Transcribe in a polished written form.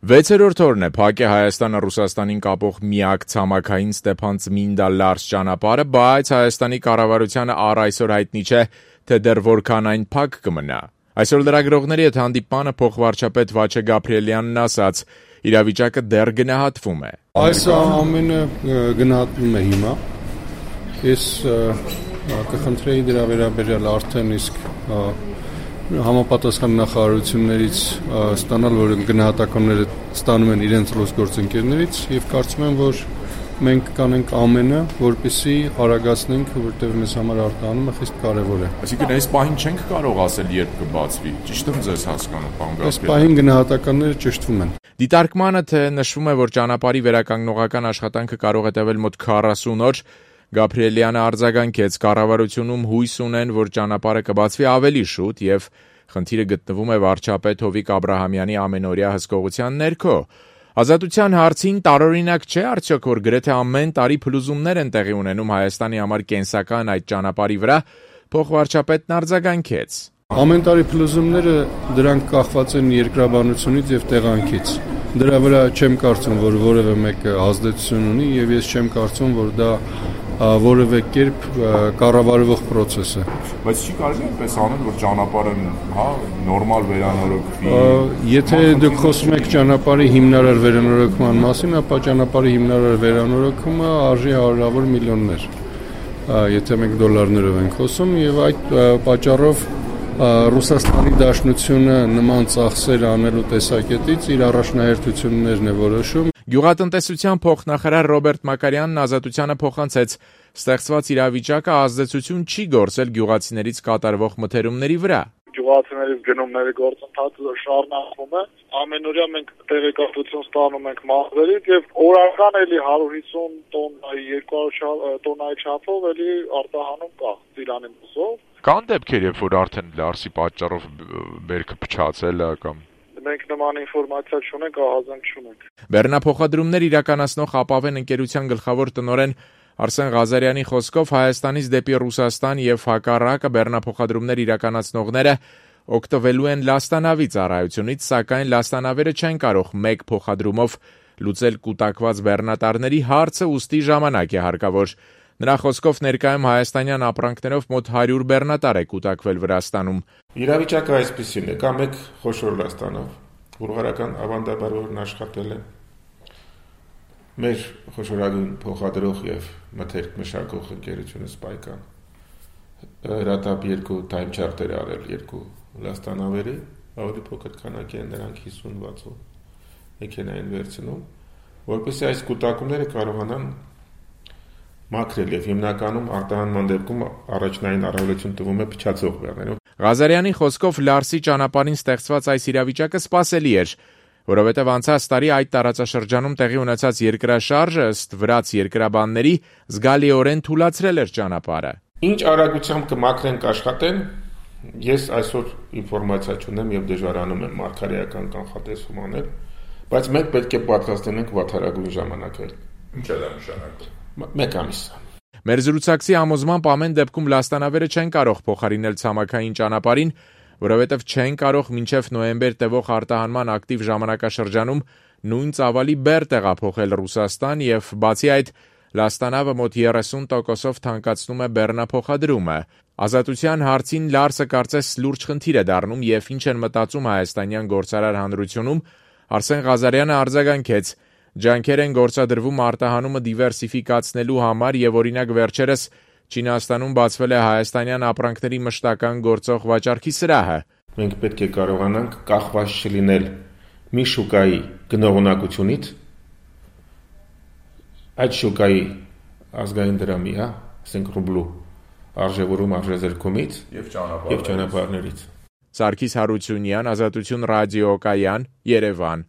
6-րդ օրն է փակ է Հայաստանը Ռուսաստանին կապող միակ ցամաքային Ստեփան-Ծմինդա-Լարս ճանապարհը, բայց Հայաստանի կառավարությանը առ այսօր հայտնի չէ, թե դեռ որքան այն փակ կմնա։ Այսօր լրագրողների հետ հանդիպմանը փոխվարչապետ Վաչե Գաբրիելյանն ասաց, իրավիճակը դեռ գնահատվում է։ Այս ամենը գնահատվում է հիմա։ Ես կխնդրեի դրա վերաբերյալ արդեն իսկ համապատասխան նախարարություններից ստանալ, որ գնահատականները ստանում են իրենց գործընկերներից եւ կարծում եմ, որ մենք կանենք ամենը, որպեսզի արագացնենք, որտեղ մեզ համար արտահանումը խիստ կարեւոր է։ Այսինքն այս պահին չենք կարող ասել երբ կբացվի։ Ճիշտ եմ ձեզ հասկանում, պարոն Գաբրիելյան։ Այս պահին գնահատականները ճշտվում են։ Դիտարկմանը թե նշվում է, որ ճանապարհի վերականգնողական աշխատանքը կարող է տևել մոտ 40 օր, Գաբրիելյանը արձագանքեց, կառավարությունում հույս ունեն, որ ճանապարհը կբացվի ավելի շուտ եւ խնդիրը գտնվում է վարչապետ Հովիկ Աբրահամյանի ամենօրյա հսկողության ներքո։ Ազատության հարցին տարօրինակ չէ արդյոք, որ գրեթե ամեն տարի փլուզումներ են տեղի ունենում Հայաստանի համար կենսական այդ ճանապարհի վրա, փոխվարչապետն արձագանքեց։ Ամեն տարի փլուզումները դրանք կախված են երկրաբանությունից եւ տեղանքից։ Դրա վրա չեմ կարծում, որ որևէ մեկը ազդեցություն ունի եւ ես չեմ կարծում, որ դա որևէ կերպ կառավարվող process է։ Բայց չի կարելի այնպես անել, որ ճանապարհը, նորմալ վերանորոգվի։ Եթե դուք խոսում եք ճանապարհի հիմնարար վերանորոգման մասին, ապա ճանապարհի հիմնարար վերանորոգումը արժի հարյուրավոր միլիոններ։ Եթե մենք դոլարներով ենք խոսում եւ այդ պատճառով Ռուսաստանի Դաշնությունը նման ծախսեր անելու տեսակետից իր առաջնահերթություններն է որոշում։ Գյուղատնտեսության փոխնախարար Ռոբերտ Մակարյանն Ազատությանը փոխանցեց, ստեղծված իրավիճակը ազդեցություն չի գործել գյուղացիներից կատարվող մթերումների վրա։ Գյուղացիներից գնումների գործընթացը շարունակվում է։ Ամենօրյա մենք տեղեկատվություն ստանում ենք մարզերից եւ օրական էլի 150 տոննայի 200 տոննայի չափով էլի արտահանում կա Ծիրանի մուսով։ Կան դեպքեր, երբ որ արդեն Լարսի պատճառով բերքը փչացել է կամ մենք նման ինֆորմացիա չունենք, ահազանգ չունենք։ Բեռնափոխադրումներ իրականացնող Ապավեն ընկերության գլխավոր տնօրեն Արսեն Ղազարյանի խոսքով Հայաստանից դեպի Ռուսաստան եւ հակառակը բեռնափոխադրումներ իրականացնողները օգտվելու են լաստանավի ծառայությունից, սակայն լաստանավերը չեն կարող մեկ փոխադրումով լուծել կուտակված բեռնատարների հարցը, ուստի ժամանակ է հարկավոր։ Նրա խոսքով ներկայում հայաստանյան ապրանքներով մոտ 100 բեռնատար է կուտակվել Վրաստանում։ Իրավիճակը այսպեսին է, կա մեկ խոշոր լաստանավ, բուլղարական ավանդաբարորն աշխատել է, մեր խոշորագույն փոխադրող եւ մթերք մշակող ընկերությունը Սպայկան հրատապ 2 time charter արել 2 լաստանավերի, ավելի փոքր քանակի են նրանք 50-60 մեքենային վերցնում, որպեսզի այս կուտակումները կարողանան մաքրել եւ հիմնականում արտահանման դեպքում առաջնային առավելություն տվում է փչացող բեռներում։ Ղազարյանի խոսքով Լարսի ճանապարհին ստեղծված այս իրավիճակը սպասելի էր, որովհետև անցած տարի այդ տարածաշրջանում տեղի ունեցած երկրաշարժը ըստ վրաց երկրաբանների զգալիորեն թուլացրել էր ճանապարհը։ Ինչ արագությամբ կմաքրենք աշխատեն, ես այսօր ինֆորմացիա չունեմ եւ դժվարանում եմ մարգարեական կանխատեսում անել, բայց մենք պետք է պատրաստ լինենք վատթարագույն ժամանակել։ Ինչ է դա նշանակում։ 1 ամիս։ Մեր զրուցակցի համոզմամբ ամեն դեպքում լաստանավերը չեն կարող փոխարինել ցամաքային ճանապարհին, որովհետև չեն կարող մինչև նոյեմբեր տևող արտահանման ակտիվ ժամանակաշրջանում նույն ծավալի բեռ տեղափոխել Ռուսաստան եւ բացի այդ լաստանավը մոտ 30%-ով թանկացնում է բեռնափոխադրումը։ Ազատության հարցին Լարսը կարծես լուրջ խնդիր է դառնում եւ ինչ են մտածում հայաստանյան գործարար հանրությունում, Արսեն Ղազարյանը արձագանքեց. Ջանքեր են գործադրվում արտահանումը դիվերսիֆիկացնելու համար եւ օրինակ վերջերս Չինաստանում բացվել է հայաստանյան ապրանքների մշտական գործող վաճառքի սրահը։ Մենք պետք է կարողանանք կախված չլինել մի շուկայի գնողունակությունից, այդ շուկայի ազգային դրամի, ասենք ռուբլու արժևորում արժեզրկումից եւ ճանապարհներից։ Սարգիս Հարությունյան, Ազատություն ռադիոկայան, Երևան։